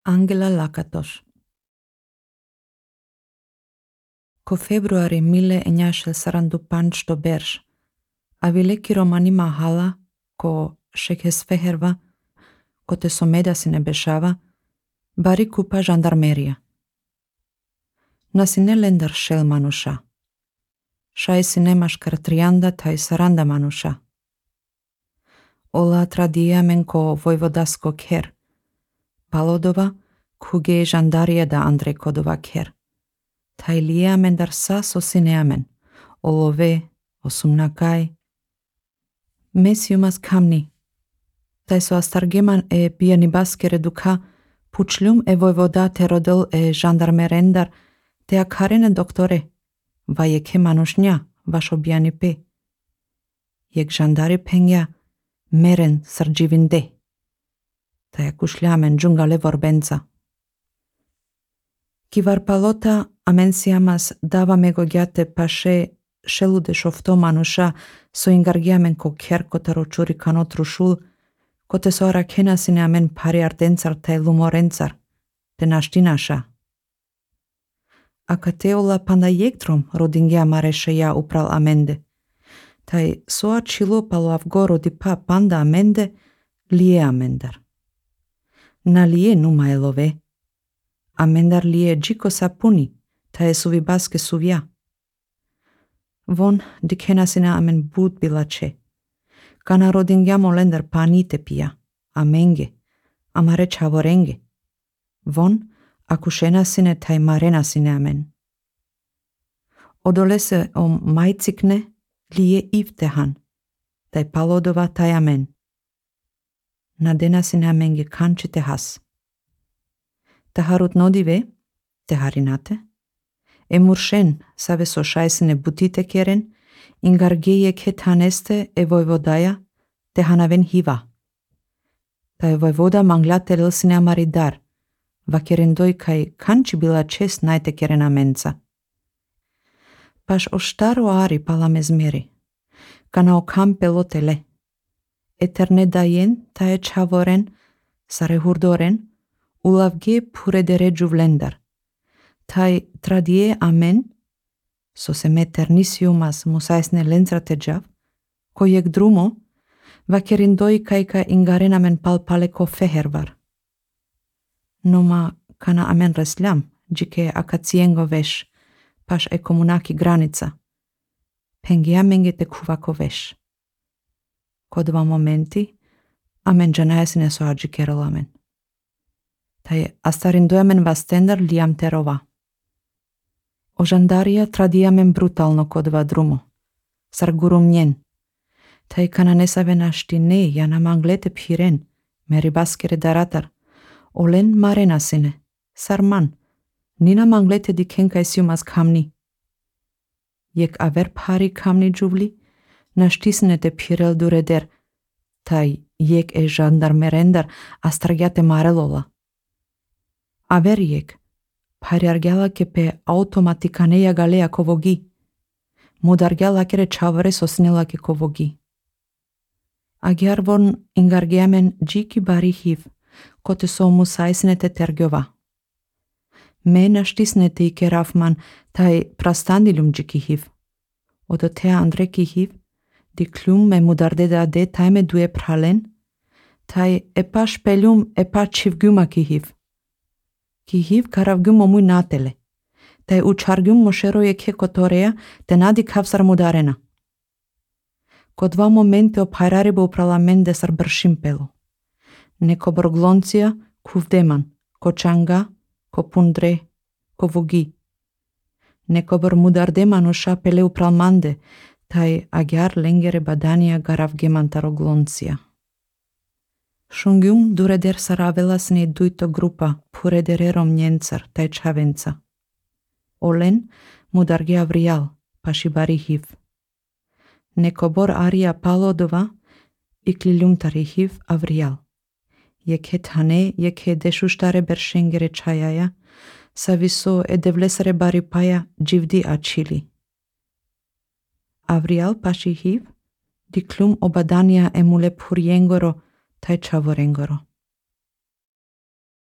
Angela Lakatos. Ko februari 1945 berš, avileki romani mahala, ko shekesfeherva, ko te someda si ne bešava, bari kupa žandarmerija. Nasi ne lendar šel manuša. Šaj si nemaš kar trianda taj saranda manuša. Ola tradijamen ko vojvodasko ker. Palodova, kuge žandarija da Andrej Kodova ker. Tai liamen dar sas o sineamen, olove, osumnakaj. Mesiumas kamni. Tai so astargeman e bianibaske reduka, pučljum e vojvoda te rodil e žandarmerendar, te akarene doktore, vajeke manušnja, vašo bianipe. Jek žandari penja, meren srđivinde. Tai akušljamen džungale vorbenca. Kivar palota amensiamas dava megogiate paše šelude šofto manuša so ingargiamen ko kerko taro čuri kanotru šul, ko te so arakenasine amen pari ardencar te lumorencar, te naštinaša. Akateola panda jektrom rodingia mareše ja upral amende. Tai soa čilo palo avgoro di pa panda amende lie amendar. Na lie numa elove. Amendar lie džiko sapuni, ta je suvi baske suvja. Von dikenasina amen bud bilače. Kana rodingiamo lendar panite pija, amenge, amare čavorenge. Von akušenasine taj marenasine amen. Odolese o majcikne lije ivtehan, taj palodova taj amen. Nadenasine amenge kančite has. Taharut nodive, teharinate, e muršen save so šajsine butite keren, ingargeje ketaneste e vojvodaja, tehanaven hiva. Ta je vojvoda manglate lilsine amaridar, va kerendoj kaj kanči bila čest najte kerena menca. Paš o štaro ari pala mezmeri, kana o kampe lotele, eterne dajen ta je čavoren, sare hurdoren, ulavge pure de ređu vlendar. Tai tradie amen, so se meternisiumas musaisne lentrate džav, ko jek drumo, va kerindoi kajka ingaren amen palpaleko fehervar. Noma kana amen resljam, džike akacijengo veš, paš e komunaki granica. Pengiamenge te kuvako veš. Ko dva momenti, amen džanajasine so adžikerol amen. Tai astarindojamen vastendar liam terova. O žandarija tradijamen brutalno kodva drumo. Sargurum njen. Tai kana nesave naštine jana manglete piren, meri baskere daratar. Olen marenasine. Sarman. Nina manglete di kenkaj siumas kamni. Jek aver pari kamni džuvli, naštisne te pirel dureder. Tai jek e žandarmerendar astragiate marelola. Averiek, pariargela ke pe automatikaneja galea kovogi. Mudargela kere čavare sosnila ke kovogi. Agiar von ingargeamen džiki bari hiv, kote so musaisne te tergjova. Me naštisne te ike rafman taj prastandilum džiki hiv. Odo te andreki hiv, di klum me mudardeda de taj me duje pralen, taj epa špeljum epa čivgjuma ki hiv. Ki hiv karavgjum omuj natele. Tai učargjum mošeroje ke kotoreja te nadi kavsar mudarena. Ko dva momente opajrari bo upralamen sar bršimpelo. Neko borgloncija kuvdeman, ko čanga, ko pundre, ko vogi. Neko bor mudardeman uša pele upralmande, tai agiar lengere badania garavgeman tarogloncija. Šungjum dureder saravelasne duito grupa puredererom njencar taj čavenca. Olen mudarge avrial, paši bari hiv. Neko bor aria palodova, ikliljum tari hiv avrial. Jek het hane, jek he dešuštare beršengere čajaja, saviso e devlesare bari paja dživdi ačili. Avrial paši hiv, diklum obadania emule puriengoro taj čavorengoro.